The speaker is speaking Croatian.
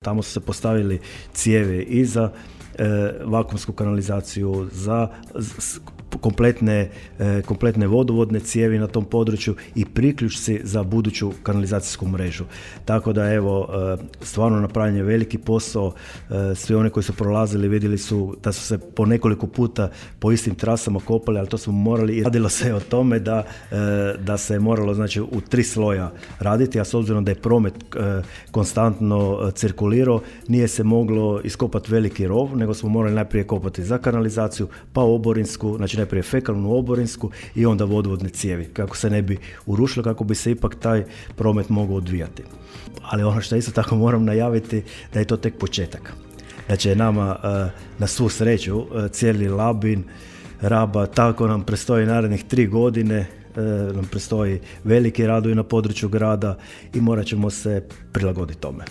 Tamo su se postavili cijevi i za vakuumsku kanalizaciju, za kompletne vodovodne cijevi na tom području i priključci za buduću kanalizacijsku mrežu. Tako da evo, stvarno napravljen je veliki posao. Svi oni koji su prolazili vidjeli su da su se po nekoliko puta po istim trasama kopali, ali to smo morali i radilo se o tome da se je moralo, znači, u 3 sloja raditi, a s obzirom da je promet konstantno cirkulirao, nije se moglo iskopati veliki rov, nego smo morali najprije kopati za kanalizaciju, pa oborinsku, znači najprije fekalnu oborinsku i onda vodovodne cijevi, kako se ne bi urušilo, kako bi se ipak taj promet mogao odvijati. Ali ono što isto tako moram najaviti, da je to tek početak. Znači nama na svu sreću cijeli Labin, Raba, tako nam predstoji narednih 3 godine, nam predstoji veliki radovi na području grada i morat ćemo se prilagoditi tome.